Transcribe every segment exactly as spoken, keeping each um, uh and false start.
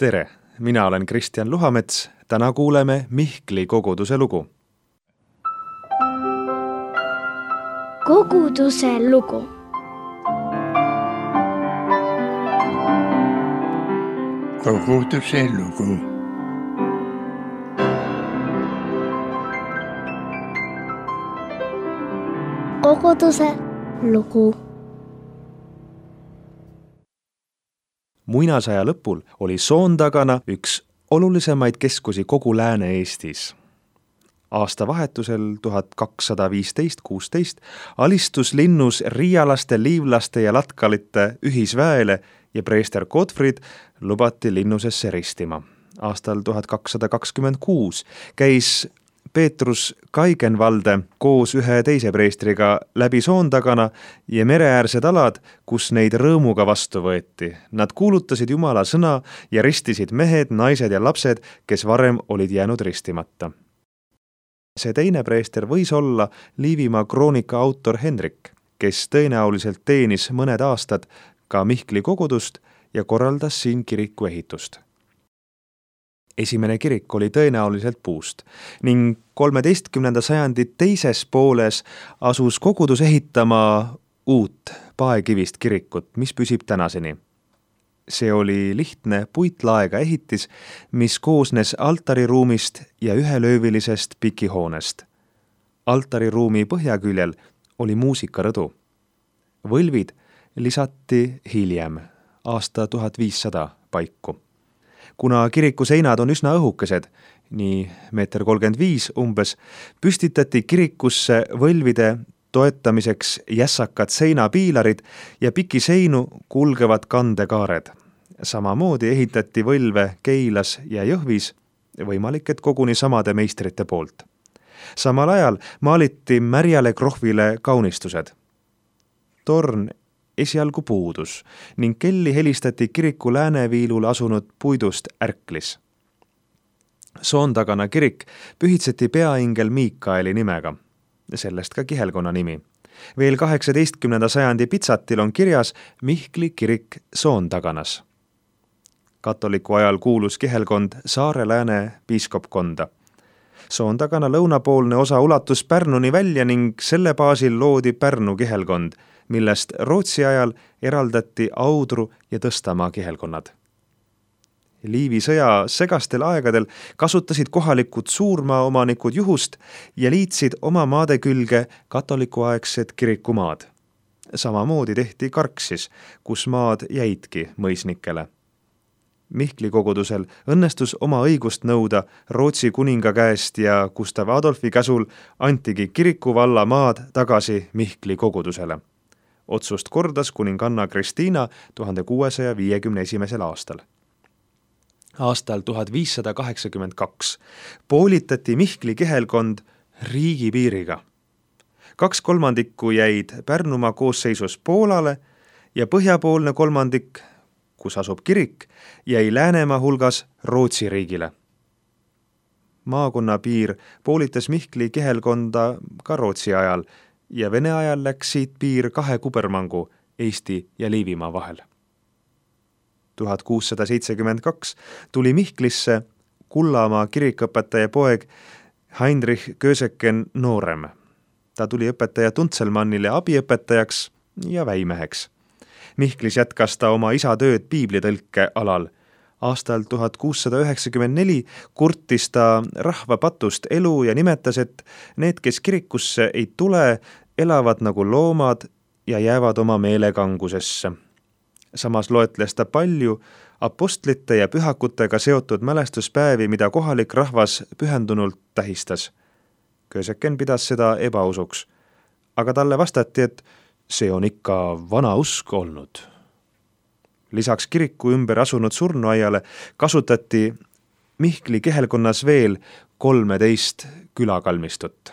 Tere, mina olen Kristjan Luhamets, täna kuuleme Mihkli koguduse lugu. Koguduse lugu. Koguduse lugu. Koguduse lugu. Muinasaja lõpul oli Soondagana üks olulisemaid keskusi kogu Lääne-Eestis. Aastavahetusel tuhat kakssada viisteist kuusteist alistus linnus riialaste, liivlaste ja latkalite ühisväele ja preester Gottfried lubati linnusesse ristima. Aastal tuhat kakssada kakskümmend kuus käis Peetrus Kaigenvalde koos ühe teise preestriga läbi Soondagana ja mereäärsed alad, kus neid rõõmuga vastu võeti. Nad kuulutasid Jumala sõna ja ristisid mehed, naised ja lapsed, kes varem olid jäänud ristimata. See teine preester võis olla Liivimaa kroonika autor Hendrik, kes tõenäoliselt teenis mõned aastad ka Mihkli kogudust ja korraldas siin kiriku ehitust. Esimene kirik oli tõenäoliselt puust ning kolmeteistkümnenda sajandi teises pooles asus kogudus ehitama uut paekivist kirikut, mis püsib tänaseni. See oli lihtne puitlaega ehitis, mis koosnes altariruumist ja ühelöövilisest pikihoonest. Altariruumi põhjaküljel oli muusikarõdu. Võlvid lisati hiljem, aasta tuhat viissada paiku. Kuna kiriku seinad on üsna õhukesed, nii meeter kolmkümmend viis umbes, püstitati kirikusse võlvide toetamiseks jässakad seinapiilarid ja piki seinu kulgevad kandekaared. Samamoodi ehitati võlve Keilas ja Jõhvis, võimalik, et koguni samade meistrite poolt. Samal ajal maaliti märjale krohvile kaunistused. Torn esialgu puudus ning kelli helistati kiriku lääneviilul asunud puidust ärklis. Soondagana kirik pühitseti peaingel Miikaeli nimega, sellest ka kihelkonna nimi. Veel kaheksateistkümnenda sajandi pitsatil on kirjas Mihkli kirik Soondaganas. Katoliku ajal kuulus kihelkond Saare-Lääne piiskopkonda. Soondagana lõunapoolne osa ulatus Pärnuni välja ning selle baasil loodi Pärnu kihelkond, millest Rootsi ajal eraldati Audru ja Tõstamaa kihelkonnad. Liivi sõja segastel aegadel kasutasid kohalikud suurmaaomanikud juhust ja liitsid oma maade külge katolikuaegsed kirikumaad. Samamoodi tehti Karksis, kus maad jäidki mõisnikele. Mihkli kogudusel õnnestus oma õigust nõuda Rootsi kuninga käest ja Gustav Adolfi käsul antigi kirikuvalla maad tagasi Mihkli kogudusele. Otsust kordas kuninganna Kristiina tuhande kuuesaja viiekümne esimesel aastal. Aastal tuhat viissada kaheksakümmend kaks poolitati Mihkli kihelkond riigipiiriga. Kaks kolmandikku jäid Pärnumaa koosseisus Poolale ja põhjapoolne kolmandik, kus asub kirik, jäi Läänemaa hulgas Rootsi riigile. Maakonna piir poolitas Mihkli kihelkonda ka Rootsi ajal ja Vene ajal läks siit piir kahe kubermangu Eesti ja Liivimaa vahel. tuhat kuussada seitsekümmend kaks tuli Mihklisse Kullamaa kirikõpetaja poeg Heinrich Köseken noorem. Ta tuli õpetaja Tuntselmannile abiõpetajaks ja väimeheks. Mihklis jätkas ta oma isa tööd piiblitõlke alal. Aastal tuhat kuussada üheksakümmend neli kurtis ta rahva patust elu ja nimetas, et need, kes kirikusse ei tule, elavad nagu loomad ja jäävad oma meelekangusesse. Samas loetles ta palju apostlite ja pühakutega seotud mälestuspäevi, mida kohalik rahvas pühendunult tähistas. Köseken pidas seda ebausuks, aga talle vastati, et see on ikka vana usk olnud. Lisaks kiriku ümber asunud surnuaiale kasutati Mihkli kihelkonnas veel kolmeteist külakalmistut.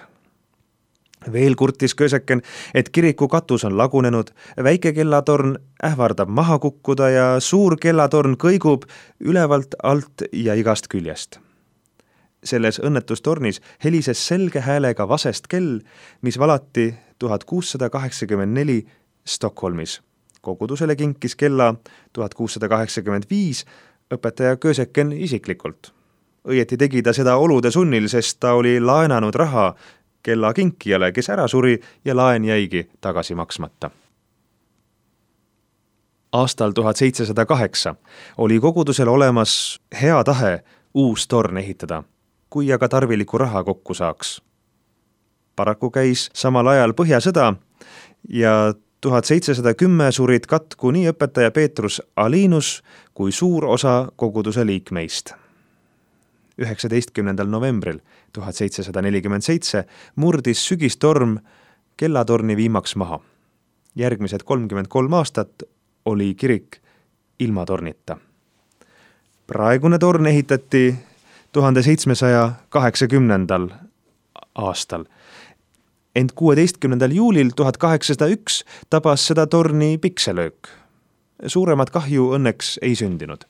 Veel kurtis Köseken, et kiriku katus on lagunenud, väike kellatorn ähvardab maha kukkuda ja suur kellatorn kõigub ülevalt, alt ja igast küljest. Selles õnnetustornis helises selge häälega vasest kell, mis valati tuhat kuussada kaheksakümmend neli Stockholmis. Kogudusele kinkis kella tuhat kuussada kaheksakümmend viis õpetaja Köseken isiklikult. Õieti tegi ta seda olude sunnil, sest ta oli laenanud raha kella kinkijale, kes ära suri ja laen jäigi tagasi maksmata. Aastal tuhat seitsesada kaheksa oli kogudusel olemas hea tahe uus torn ehitada, kui aga tarviliku raha kokku saaks. Paraku käis samal ajal Põhjasõda ja tuhat seitsesada kümme surid katku nii õpetaja Peetrus Alinus kui suur osa koguduse liikmeist. üheksateistkümnendal novembril tuhat seitsesada nelikümmend seitse murdis sügistorm kellatorni viimaks maha. Järgmised kolmkümmend kolm aastat oli kirik ilma tornita. Praegune torn ehitati tuhande seitsmesaja kaheksakümnendal aastal. Ent kuueteistkümnendal juulil tuhat kaheksasada üks tabas seda torni pikselöök. Suuremat kahju õnneks ei sündinud.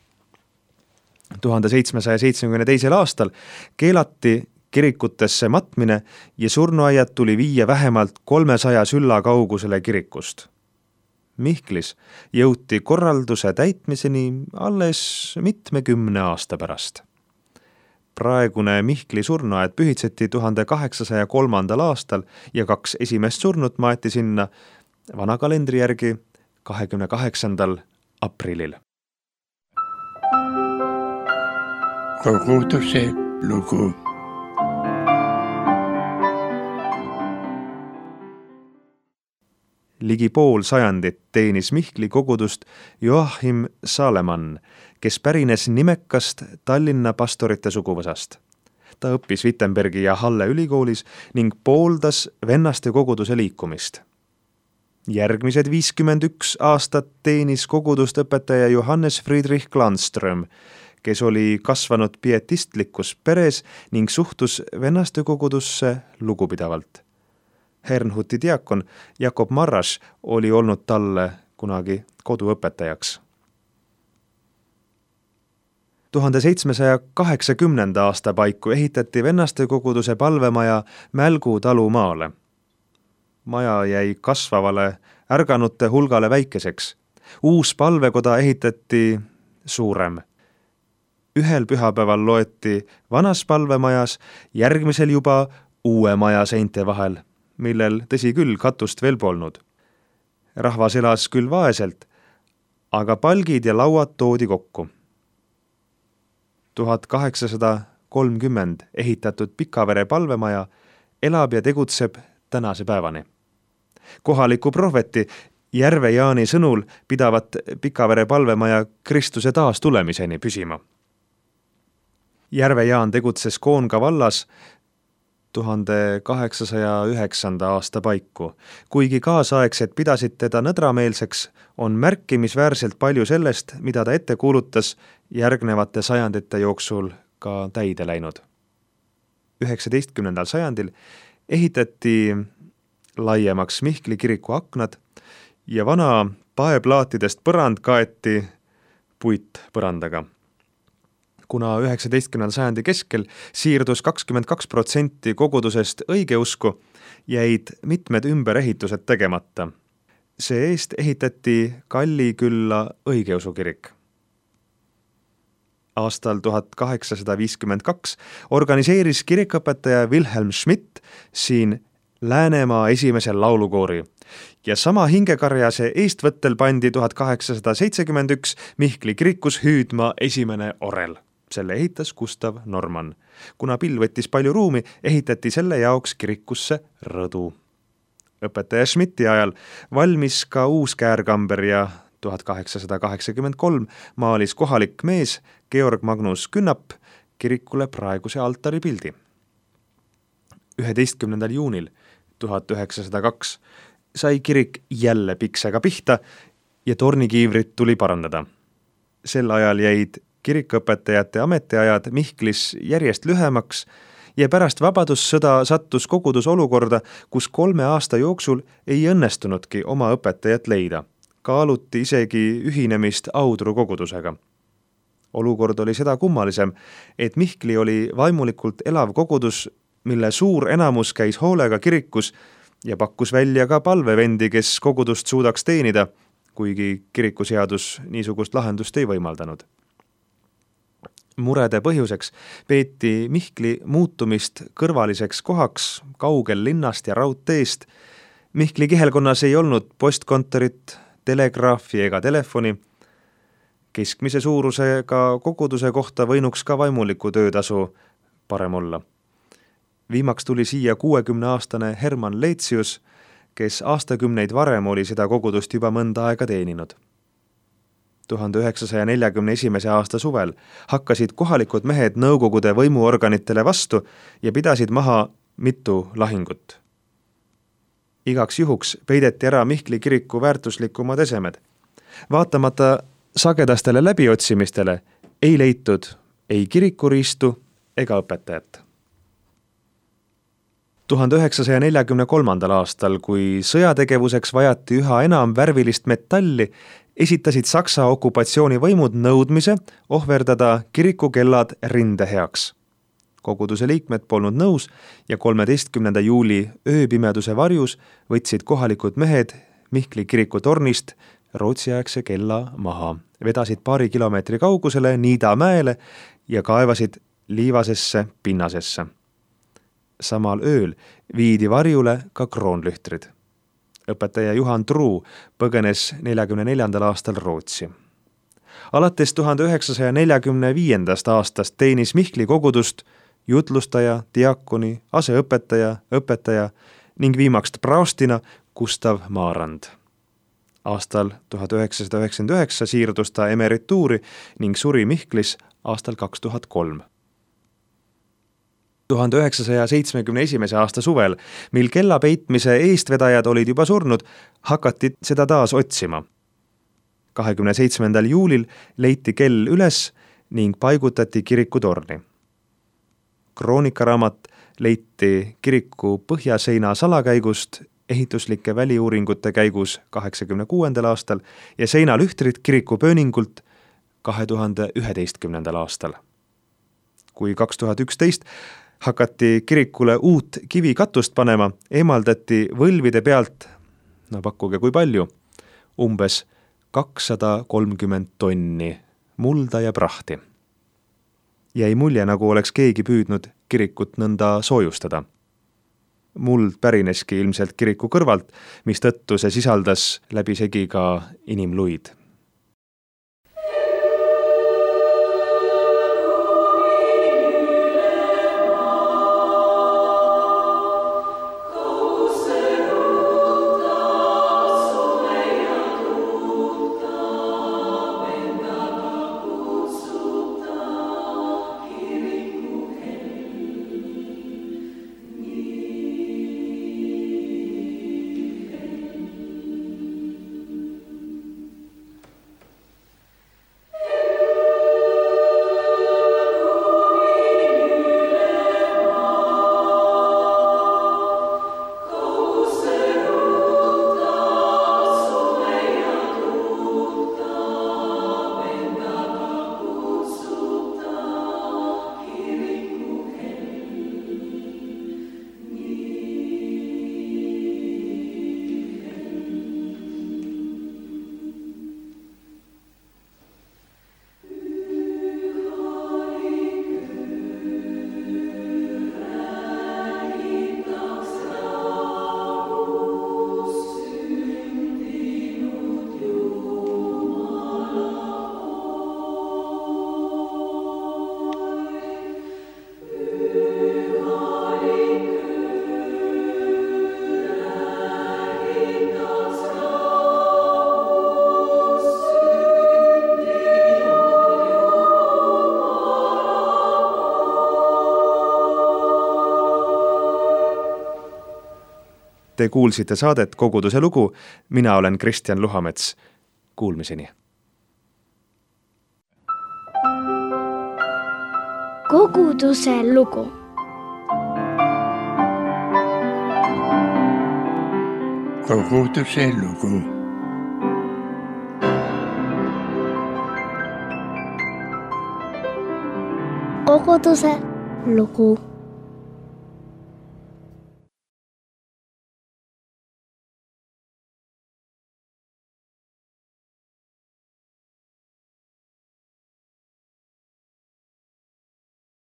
tuhande seitsmesaja seitsmekümne teisel aastal keelati kirikutesse matmine ja surnuaiad tuli viia vähemalt kolmesaja sülla kaugusele kirikust. Mihklis jõuti korralduse täitmiseni alles mitmekümne aasta pärast. Praegune Mihkli surnuaed pühitseti tuhande kaheksasaja kolmandal aastal ja kaks esimest surnut maeti sinna vana kalendri järgi kahekümne kaheksandal aprillil. Koguduse lugu. Ligi pool sajandit teenis Mihkli kogudust Joachim Salemann, kes pärines nimekast Tallinna pastorite suguvõsast. Ta õppis Wittenbergi ja Halle ülikoolis ning pooldas vennaste koguduse liikumist. Järgmised viiskümmend üks aastat teenis kogudust õpetaja Johannes Friedrich Glanström, kes oli kasvanud pietistlikus peres ning suhtus vennaste kogudusse lugupidavalt. Herrnhuti diakon Jakob Marras oli olnud talle kunagi koduõpetajaks. tuhande seitsmesaja kaheksakümnenda aasta paiku ehitati vennaste koguduse palvemaja Mälgu talumaale. Maja jäi kasvavale ärganute hulgale väikeseks. Uus palvekoda ehitati suurem. Ühel pühapäeval loeti vanas palvemajas, järgmisel juba uue maja seinte vahel, millel tõsi küll katust veel polnud. Rahvas elas küll vaeselt, aga palgid ja lauad toodi kokku. tuhat kaheksasada kolmkümmend ehitatud Pikavere palvemaja elab ja tegutseb tänase päevani. Kohaliku prohveti Järve Jaani sõnul pidavat Pikavere palvemaja Kristuse taas tulemiseni püsima. Järve Jaan tegutses Koonga vallas tuhande kaheksasaja üheksanda aasta paiku. Kuigi kaasaegsed pidasid teda nõdrameelseks, on märkimisväärselt palju sellest, mida ta ette kuulutas, järgnevate sajandite jooksul ka täide läinud. üheksateistkümnendal sajandil ehitati laiemaks Mihkli kiriku aknad ja vana paeplaatidest põrand kaeti puitpõrandaga. Kuna üheksateistkümnenda sajandi keskel siirdus kakskümmend kaks protsenti kogudusest õigeusku, jäid mitmed ümberehitused tegemata. See eest ehitati Kallikülla õigeusu kirik. Aastal tuhat kaheksasada viiskümmend kaks organiseeris kirikõpetaja Wilhelm Schmidt siin Läänemaa esimesel laulukoori ja sama hingekarjase eestvõttel pandi tuhat kaheksasada seitsekümmend üks Mihkli kirikus hüüdma esimene orel. Selle ehitas Gustav Norman. Kuna pill võttis palju ruumi, ehitati selle jaoks kirikusse rõdu. Õpetaja Schmidti ajal valmis ka uus käärkamber ja tuhat kaheksasada kaheksakümmend kolm maalis kohalik mees Georg Magnus Künnap kirikule praeguse altari pildi. üheteistkümnendal juunil tuhat üheksasada kaks sai kirik jälle piksega pihta ja tornikiivrit tuli parandada. Sel ajal jäid kirikõpetajate ametiajad Mihklis järjest lühemaks ja pärast vabadussõda sattus kogudus olukorda, kus kolme aasta jooksul ei õnnestunudki oma õpetajat leida. Kaaluti isegi ühinemist Audru kogudusega. Olukord oli seda kummalisem, et Mihkli oli vaimulikult elav kogudus, mille suur enamus käis hoolega kirikus ja pakkus välja ka palvevendi, kes kogudust suudaks teenida, kuigi kirikuseadus niisugust lahendust ei võimaldanud. Murede põhjuseks peeti Mihkli muutumist kõrvaliseks kohaks kaugel linnast ja raudteest. Mihkli kihelkonnas ei olnud postkontorit, telegraafi ega telefoni. Keskmise suurusega koguduse kohta võinuks ka vaimuliku töötasu parem olla. Viimaks tuli siia kuuekümneaastane Herman Leetsius, kes aastakümneid varem oli seda kogudust juba mõnda aega teeninud. tuhande üheksasaja neljakümne esimese aasta suvel hakkasid kohalikud mehed nõukogude võimuorganitele vastu ja pidasid maha mitu lahingut. Igaks juhuks peideti ära Mihkli kiriku väärtuslikumad esemed. Vaatamata sagedastele läbiotsimistele ei leitud ei kirikuriistu ega õpetajat. tuhande üheksasaja neljakümne kolmandal aastal, kui sõjategevuseks vajati üha enam värvilist metalli, esitasid Saksa okupatsioonivõimud nõudmise ohverdada kirikukellad rinde heaks. Koguduse liikmed polnud nõus ja kolmeteistkümnenda juuli ööpimeduse varjus võtsid kohalikud mehed Mihkli kiriku tornist rootsiaegse kella maha, vedasid paari kilomeetri kaugusele Niidamäele ja kaevasid liivasesse pinnasesse. Samal ööl viidi varjule ka kroonlühtrid. Õpetaja Juhan Truu põgenes neljakümne neljandal aastal Rootsi. Alates tuhande üheksasaja neljakümne viiendast aastast teenis Mihkli kogudust jutlustaja, diakoni, aseõpetaja, õpetaja ning viimaks praostina Gustav Maarand. Aastal tuhat üheksasada üheksakümmend üheksa siirdus ta emerituuri ning suri Mihklis aastal kaks tuhat kolm. tuhande üheksasaja seitsmekümne esimese aasta suvel, mil kella peitmise eestvedajad olid juba surnud, hakati seda taas otsima. kahekümne seitsmendal juulil leiti kell üles ning paigutati kirikutorni. Kroonikaraamat leiti kiriku põhjaseina salakäigust ehituslike väliuuringute käigus kaheksakümne kuuendal aastal ja seinalühtrid kiriku pööningult kahe tuhande üheteistkümnendal aastal. Kui kaks tuhat üksteist hakati kirikule uut kivikatust panema, eemaldati võlvide pealt, no pakkuge kui palju, umbes kakssada kolmkümmend tonni mulda ja prahti. Jäi mulje, nagu oleks keegi püüdnud kirikut nõnda soojustada. Muld pärineski ilmselt kiriku kõrvalt, mis tõttu see sisaldas läbisegi ka inimluid. Te kuulsite saadet Koguduse lugu, mina olen Kristjan Luhamets. Kuulmiseni. Koguduse lugu. Koguduse lugu. Koguduse lugu.